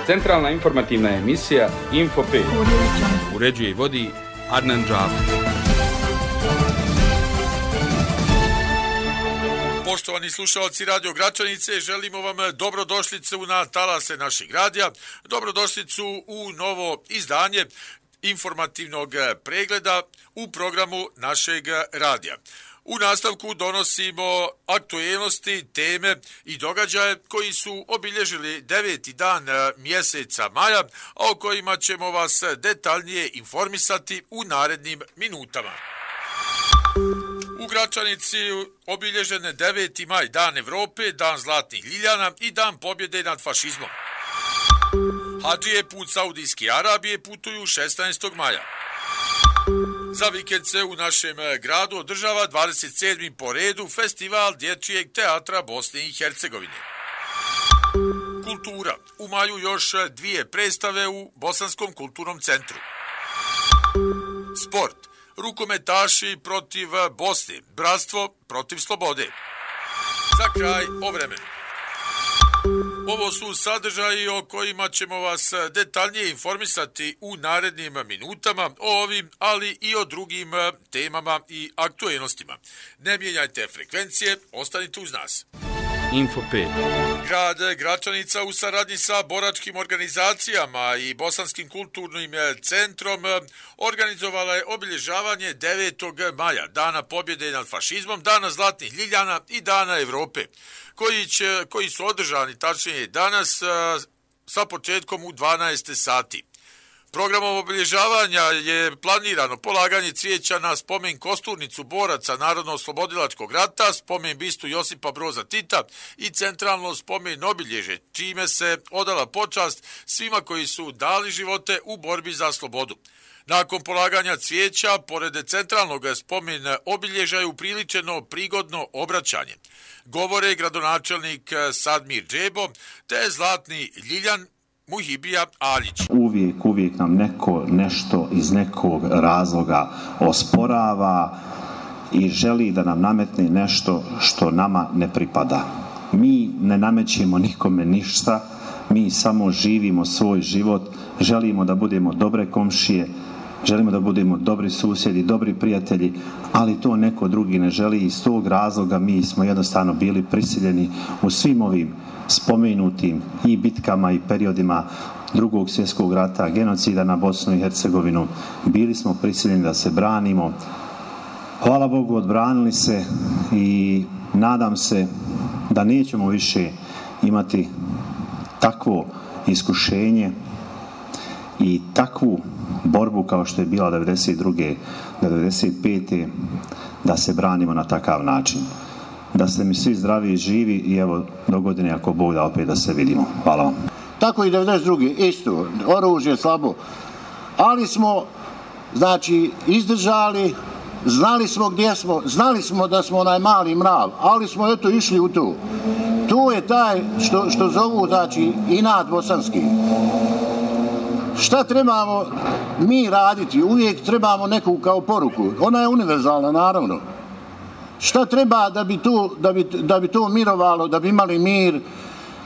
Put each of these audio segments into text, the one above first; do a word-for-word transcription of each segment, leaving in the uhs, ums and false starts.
Centralna informativna emisija Info pet. Uređuje i vodi Adnan Džafer. Poštovani slušalci Radio Gračanice, želimo vam dobrodošlicu na talase našeg radija, dobrodošlicu u novo izdanje informativnog pregleda u programu našeg radija. U nastavku donosimo aktuelnosti, teme i događaje koji su obilježili deveti dan mjeseca maja, a o kojima ćemo vas detaljnije informisati u narednim minutama. U Gračanici obilježen je deveti maj, dan Evrope, dan zlatnih ljiljana i dan pobjede nad fašizmom. Hadžije put Saudijske Arabije putuju šesnaestog maja. Za vikend se u našem gradu održava dvadeset sedmi po redu Festival dječjeg teatra Bosne i Hercegovine. Kultura. U maju još dvije predstave u Bosanskom kulturnom centru. Sport. Rukometaši protiv Bosne. Bratstvo protiv slobode. Za kraj o vremenu. Ovo su sadržaji o kojima ćemo vas detaljnije informisati u narednim minutama o ovim, ali i o drugim temama i aktuelnostima. Ne mijenjajte frekvencije, ostanite uz nas. Info pet. Grad Gračanica u saradnji sa boračkim organizacijama i Bosanskim kulturnim centrom organizovala je obilježavanje devetog maja, dana pobjede nad fašizmom, dana zlatnih ljiljana i dana Evrope, koji, će, koji su održani tačnije danas sa početkom u dvanaest sati. Programom obilježavanja je planirano polaganje cvijeća na spomen kosturnicu boraca Narodno-oslobodilačkog rata, spomen bistu Josipa Broza Tita i centralno spomen obilježe, čime se odala počast svima koji su dali živote u borbi za slobodu. Nakon polaganja cvijeća, pored centralnog spomen obilježja je upriličeno prigodno obraćanje. Govore gradonačelnik Sadmir Džebo te zlatni ljiljan Muhibija Aljić. Uvijek, uvijek nam neko nešto iz nekog razloga osporava i želi da nam nametne nešto što nama ne pripada. Mi ne namećemo nikome ništa, mi samo živimo svoj život, želimo da budemo dobre komšije, želimo da budemo dobri susjedi, dobri prijatelji, ali to neko drugi ne želi i iz tog razloga mi smo jednostavno bili prisiljeni u svim ovim spomenutim i bitkama i periodima drugog svjetskog rata, genocida na Bosnu i Hercegovinu. Bili smo prisiljeni da se branimo. Hvala Bogu, odbranili se i nadam se da nećemo više imati takvo iskušenje i takvu borbu kao što je bila devedeset druge do devedeset pete da se branimo na takav način. Da ste mi svi zdravi i živi i evo do godine ako Bog da opet da se vidimo. Hvala vam. Tako i devedeset druge isto, oružje slabo, ali smo znači izdržali, znali smo gdje smo, znali smo da smo onaj mali mrav, ali smo eto išli u to. To je taj što, što zovu znači inat bosanski. Šta trebamo mi raditi? Uvijek trebamo neku kao poruku. Ona je univerzalna, naravno. Šta treba da bi to, da bi, da bi to mirovalo, da bi imali mir,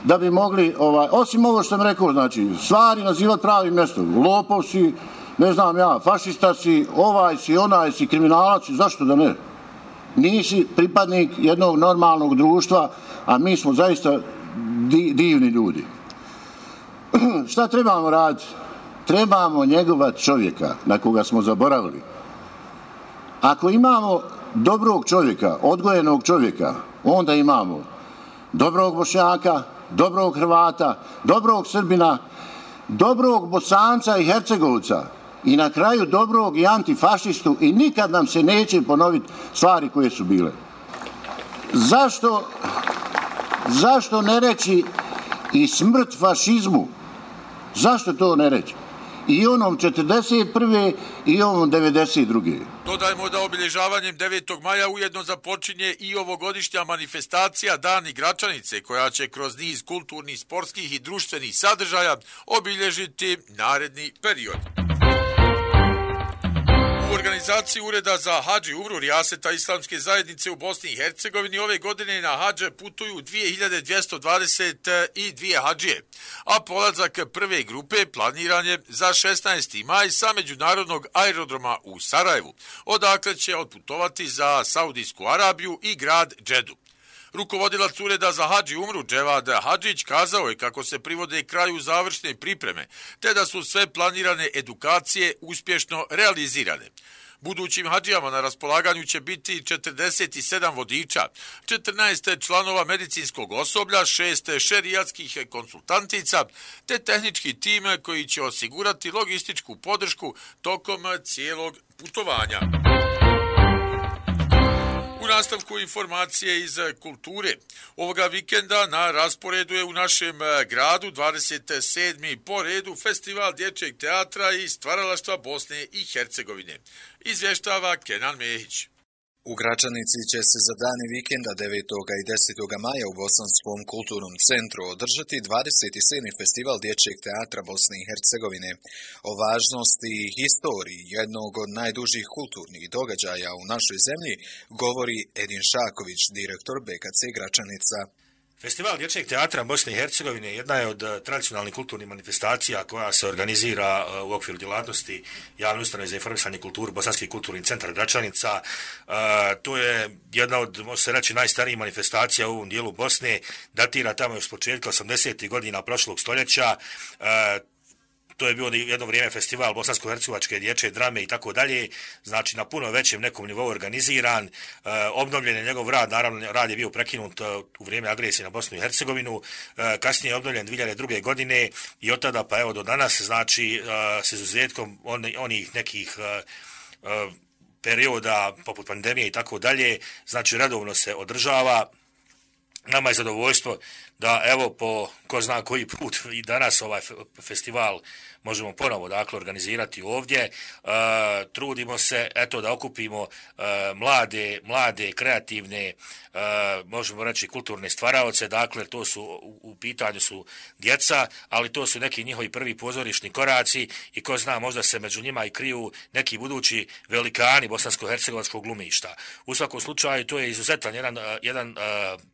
da bi mogli, ovaj, osim ovo što sam rekao, znači, stvari nazivati pravim mjestom. Lopov si, ne znam ja, fašista si, ovaj si, onaj si, kriminalac si, zašto da ne? Nisi pripadnik jednog normalnog društva, a mi smo zaista di, divni ljudi. Šta trebamo raditi? Trebamo njegovat čovjeka na koga smo zaboravili. Ako imamo dobrog čovjeka, odgojenog čovjeka, onda imamo dobrog Bošnjaka, dobrog Hrvata, dobrog Srbina, dobrog Bosanca i Hercegovca i na kraju dobrog i antifašistu i nikad nam se neće ponoviti stvari koje su bile. Zašto, zašto ne reći i smrt fašizmu? Zašto to ne reći? I onom četrdeset prve i onom devedeset druge. Dodajmo da obilježavanjem devetog maja ujedno započinje i ovogodišnja manifestacija Dani Gračanice, koja će kroz niz kulturnih, sportskih i društvenih sadržaja obilježiti naredni period. organizaciji Ureda za hadž i umru Rijaseta Islamske zajednice u Bosni i Hercegovini ove godine na hadž putuju dvije hiljade dvjesto dvadeset dvije hadžije, a polazak prve grupe planiran je za šesnaesti maj sa međunarodnog aerodroma u Sarajevu, odakle će otputovati za Saudijsku Arabiju i grad Džedu. Rukovodilac Ureda za hadž i umru Dževad Hadžić kazao je kako se privode kraju završne pripreme, te da su sve planirane edukacije uspješno realizirane. Budućim hadžijama na raspolaganju će biti četrdeset sedam vodiča, četrnaest članova medicinskog osoblja, šest šerijatskih konsultantica, te tehnički tim koji će osigurati logističku podršku tokom cijelog putovanja. U nastavku informacije iz kulture. Ovoga vikenda na rasporedu je u našem gradu dvadeset sedmi po redu Festival dječjeg teatra i stvaralaštva Bosne i Hercegovine. Izvještava Kenan Mehić. U Gračanici će se za dane vikenda devetog i desetog maja u Bosanskom kulturnom centru održati dvadeseti sedmi Festival dječjeg teatra Bosne i Hercegovine. O važnosti i historiji jednog od najdužih kulturnih događaja u našoj zemlji govori Edin Šaković, direktor B K C Gračanica. Festival dječjeg teatra Bosne i Hercegovine jedna je od tradicionalnih kulturnih manifestacija koja se organizira u okviru djelatnosti javne ustanove za informisanje i kulturu Bosanski kulturni centar Gračanica. To je jedna od, može se reći, najstarijih manifestacija u ovom dijelu Bosne, datira tamo još s početka osamdesetih godina prošlog stoljeća. To je bio jedno vrijeme festival bosansko-hercegovačke dječje drame i tako dalje, znači na puno većem nekom nivou organiziran, e, obnovljen je njegov rad, naravno rad je bio prekinut u vrijeme agresije na Bosnu i Hercegovinu, e, kasnije je obnovljen dvije hiljade druge. godine i od tada pa evo do danas, znači e, s izuzetkom on, onih nekih e, e, perioda poput pandemije i tako dalje, znači redovno se održava. Nama je zadovoljstvo da evo po ko zna koji put i danas ovaj festival možemo ponovo dakle organizirati ovdje. E, trudimo se eto da okupimo e, mlade, mlade, kreativne, e, možemo reći kulturne stvaraoce, dakle to su u, u pitanju su djeca, ali to su neki njihovi prvi pozorišni koraci i ko zna možda se među njima i kriju neki budući velikani bosansko-hercegovačkog glumišta. U svakom slučaju to je izuzetan jedan, jedan uh,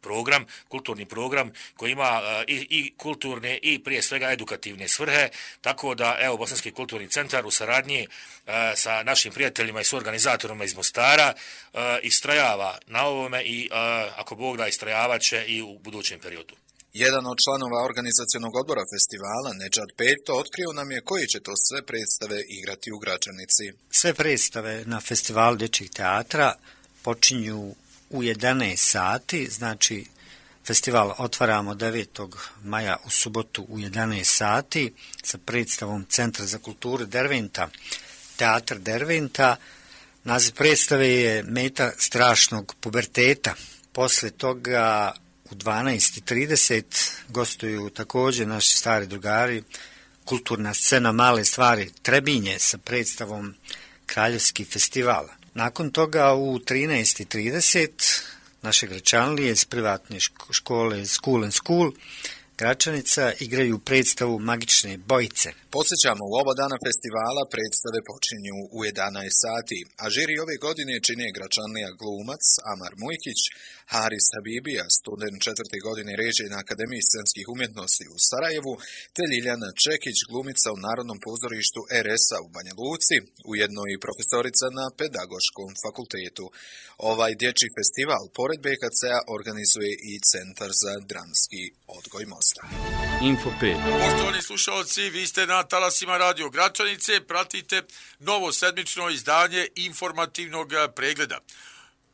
program, kulturni program koji ima uh, i, i kulturne i prije svega edukativne svrhe, tako da evo Bosanski kulturni centar u saradnji uh, sa našim prijateljima i suorganizatorima iz Mostara uh, istrajava na ovome i uh, ako Bog da istrajavat će i u budućem periodu. Jedan od članova organizacionog odbora festivala, Nedžad Peto, otkrio nam je koji će to sve predstave igrati u Gračanici. Sve predstave na festivalu dječjeg teatra počinju u jedanaest sati, znači festival otvaramo devetog maja u subotu u jedanaest sati sa predstavom Centra za kulturu Derventa, Teatr Derventa. Naziv predstave je Meta strašnog puberteta. Posle toga u dvanaest i trideset gostuju također naši stari drugari, kulturna scena Male stvari Trebinje sa predstavom Kraljevski festival. Nakon toga u trinaest i trideset naše Gračanlije iz privatne škole School and School Gračanica igraju predstavu Magične bojice. Podsjećamo, u oba dana festivala predstave počinju u jedanaest sati, a žiri ove godine čine Gračanlija glumac Amar Mujkić, Haris Habibija, student četvrte godine režije na Akademiji scenskih umjetnosti u Sarajevu, te Ljiljana Čekić, glumica u Narodnom pozorištu R S-a u Banja Luci, ujedno i profesorica na Pedagoškom fakultetu. Ovaj dječji festival, pored B K C-a, organizuje i Centar za dramski odgoj Mostar. Info pet. Poštovani slušalci, vi ste na talasima Radio Gračanice, pratite novo sedmično izdanje informativnog pregleda.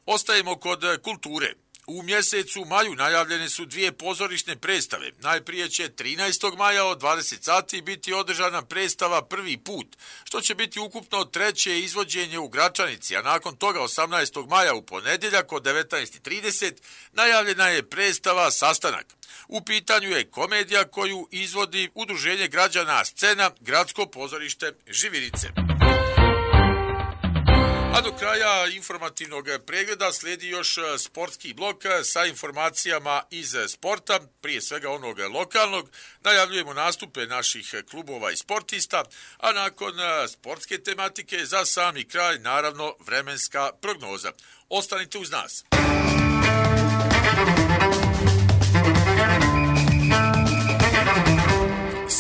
Ostajemo kod kulture. U mjesecu maju najavljene su dvije pozorišne predstave. Najprije će trinaestog maja od dvadeset sati biti održana predstava Prvi put, što će biti ukupno treće izvođenje u Gračanici, a nakon toga osamnaestog maja u ponedjeljak od devetnaest i trideset najavljena je predstava Sastanak. U pitanju je komedija koju izvodi Udruženje građana Scena, Gradsko pozorište Živirice. A do kraja informativnog pregleda slijedi još sportski blok sa informacijama iz sporta, prije svega onog lokalnog. Najavljujemo nastupe naših klubova i sportista, a nakon sportske tematike za sami kraj, naravno, vremenska prognoza. Ostanite uz nas.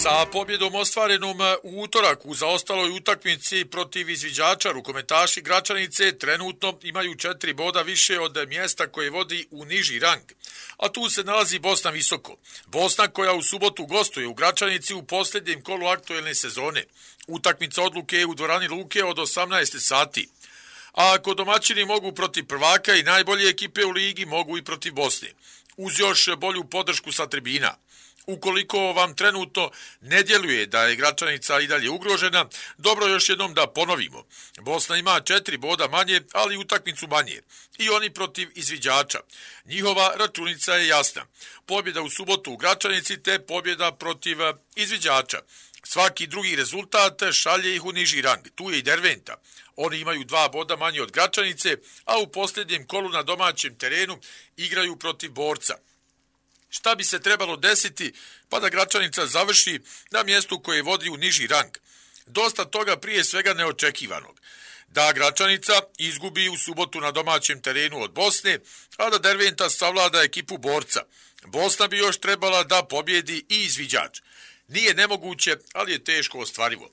Sa pobjedom ostvarenom u utorak u zaostaloj utakmici protiv izviđača, rukometaši Gračanice trenutno imaju četiri boda više od mjesta koje vodi u niži rang. A tu se nalazi Bosna Visoko. Bosna koja u subotu gostuje u Gračanici u posljednjem kolu aktuelne sezone. Utakmica odluke je u dvorani Luke od osamnaest sati. A ako domaćini mogu protiv prvaka i najbolje ekipe u ligi, mogu i protiv Bosne. Uz još bolju podršku sa tribina. Ukoliko vam trenutno ne djeluje da je Gračanica i dalje ugrožena, dobro još jednom da ponovimo. Bosna ima četiri boda manje, ali utakmicu manje. I oni protiv izviđača. Njihova računica je jasna. Pobjeda u subotu u Gračanici te pobjeda protiv izviđača. Svaki drugi rezultat šalje ih u niži rang. Tu je i Derventa. Oni imaju dva boda manje od Gračanice, a u posljednjem kolu na domaćem terenu igraju protiv Borca. Šta bi se trebalo desiti pa da Gračanica završi na mjestu koje vodi u niži rang? Dosta toga prije svega neočekivanog. Da Gračanica izgubi u subotu na domaćem terenu od Bosne, a da Derventa savlada ekipu Borca. Bosna bi još trebala da pobjedi i izviđač. Nije nemoguće, ali je teško ostvarivo.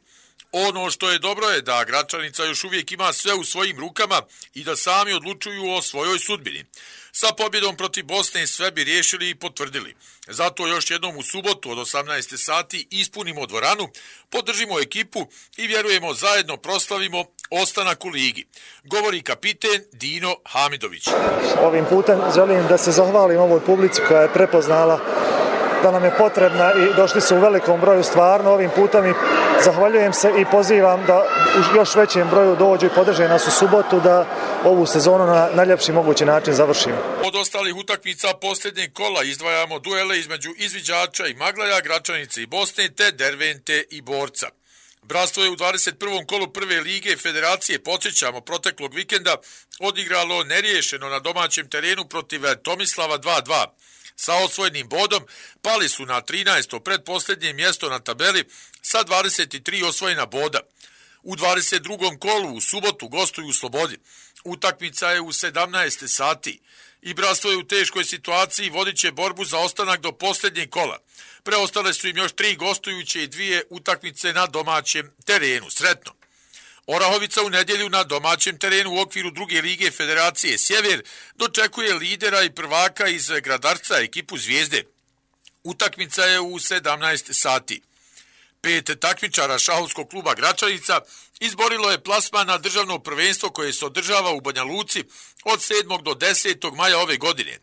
Ono što je dobro je da Gračanica još uvijek ima sve u svojim rukama i da sami odlučuju o svojoj sudbini. Sa pobjedom protiv Bosne sve bi riješili i potvrdili. Zato još jednom u subotu od osamnaest sati ispunimo dvoranu, podržimo ekipu i vjerujemo zajedno proslavimo ostanak u ligi. Govori kapiten Dino Hamidović. Ovim putem želim da se zahvalim ovoj publici koja je prepoznala da nam je potrebna i došli su u velikom broju stvarno ovim putem i zahvaljujem se i pozivam da u još većem broju dođu i podrže nas u subotu da ovu sezonu na najljepši mogući način završimo. Od ostalih utakmica posljednjeg kola izdvajamo duele između izviđača i Maglaja, Gračanice i Bosne te Dervente i Borca. Bratstvo je u dvadeset prvom kolu prve lige Federacije, podsjećamo, proteklog vikenda odigralo neriješeno na domaćem terenu protiv Tomislava dva dva. Sa osvojenim bodom pali su na trinaesto pretposljednje mjesto na tabeli sa dvadeset tri osvojena boda. U dvadeset drugom kolu u subotu gostuju u Slobodi. Utakmica je u sedamnaest sati i Bratstvo je u teškoj situaciji, vodit će borbu za ostanak do posljednjeg kola. Preostale su im još tri gostujuće i dvije utakmice na domaćem terenu. Sretno! Orahovica u nedjelju na domaćem terenu u okviru druge lige Federacije Sjever dočekuje lidera i prvaka iz Gradarca, ekipu Zvijezde. Utakmica je u sedamnaest sati. Pet takmičara šahovskog kluba Gračanica izborilo je plasman na državno prvenstvo koje se održava u Banja Luci od sedmog do desetog maja ove godine.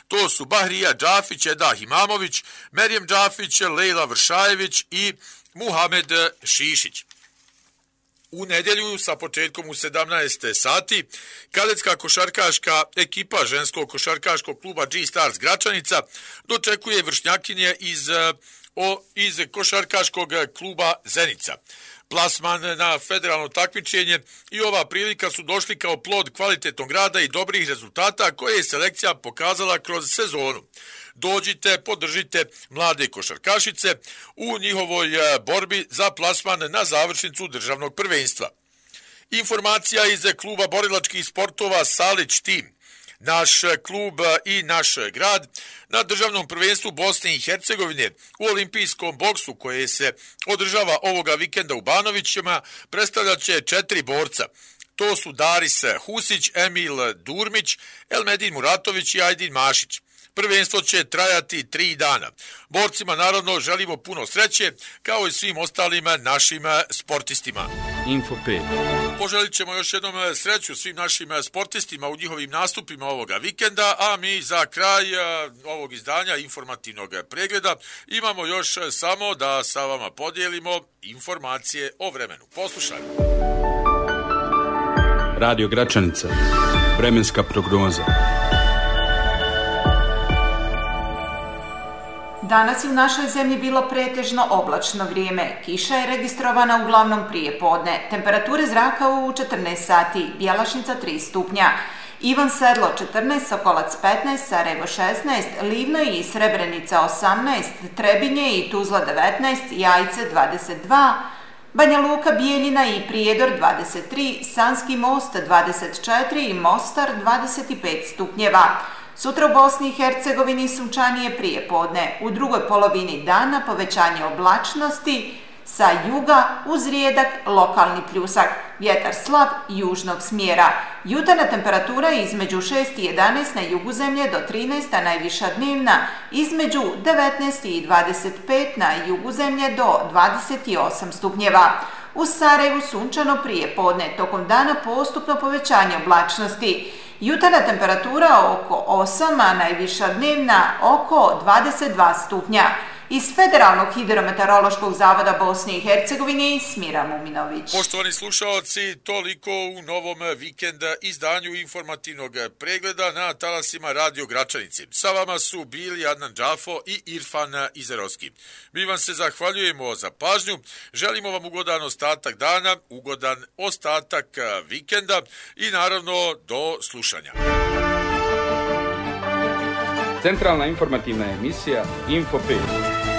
To su Bahrija Džafić, Edah Imamović, Merjem Džafić, Lejla Vršajević i Muhamed Šišić. U nedjelju sa početkom u sedamnaest sati kadetska košarkaška ekipa ženskog košarkaškog kluba G-Stars Gračanica dočekuje vršnjakinje iz, o, iz košarkaškog kluba Zenica. Plasman na federalno takmičenje i ova prilika su došli kao plod kvalitetnog rada i dobrih rezultata koje je selekcija pokazala kroz sezonu. Dođite, podržite mlade košarkašice u njihovoj borbi za plasman na završnicu državnog prvenstva. Informacija iz kluba borilačkih sportova Salić Tim. Naš klub i naš grad na državnom prvenstvu Bosne i Hercegovine u olimpijskom boksu koje se održava ovoga vikenda u Banovićima predstavljat će četiri borca. To su Daris Husić, Emil Durmić, Elmedin Muratović i Ajdin Mašić. Prvenstvo će trajati tri dana. Borcima naravno želimo puno sreće, kao i svim ostalim našim sportistima. Info pet. Poželit ćemo još jednom sreću svim našim sportistima u njihovim nastupima ovoga vikenda, a mi za kraj ovog izdanja informativnog pregleda imamo još samo da sa vama podijelimo informacije o vremenu. Poslušajmo. Radio Gračanica. Vremenska prognoza. Danas je u našoj zemlji bilo pretežno oblačno vrijeme. Kiša je registrovana uglavnom prije podne. Temperature zraka u četrnaest sati, Bjelašnica tri stupnja. Ivan Sedlo četrnaest, Sokolac petnaest, Sarajevo šesnaest, Livno i Srebrenica osamnaest, Trebinje i Tuzla devetnaest, Jajce dvadeset dva, Banja Luka, Bijeljina i Prijedor dvadeset tri, Sanski Most dvadeset četiri i Mostar dvadeset pet stupnjeva. Sutra u Bosni i Hercegovini sunčanije prije podne. U drugoj polovini dana povećanje oblačnosti sa juga uz rijedak lokalni pljusak. Vjetar slab južnog smjera. Jutarnja temperatura između šest i jedanaest na jugu zemlje do trinaest, a najviša dnevna između devetnaest i dvadeset pet na jugu zemlje do dvadeset osam stupnjeva. U Sarajevu sunčano prije podne, tokom dana postupno povećanje oblačnosti. Jutarnja temperatura oko osam, a najviša dnevna oko dvadeset dva stupnja. Iz Federalnog hidrometeorološkog zavoda Bosne i Hercegovine Smira Muminović. Poštovani slušalci, toliko u novom vikend izdanju informativnog pregleda na talasima Radio Gračanici. Sa vama su bili Adnan Džafo i Irfan Izerovski. Mi vam se zahvaljujemo za pažnju, želimo vam ugodan ostatak dana, ugodan ostatak vikenda i naravno do slušanja. Centralna informativna emisija Info pet.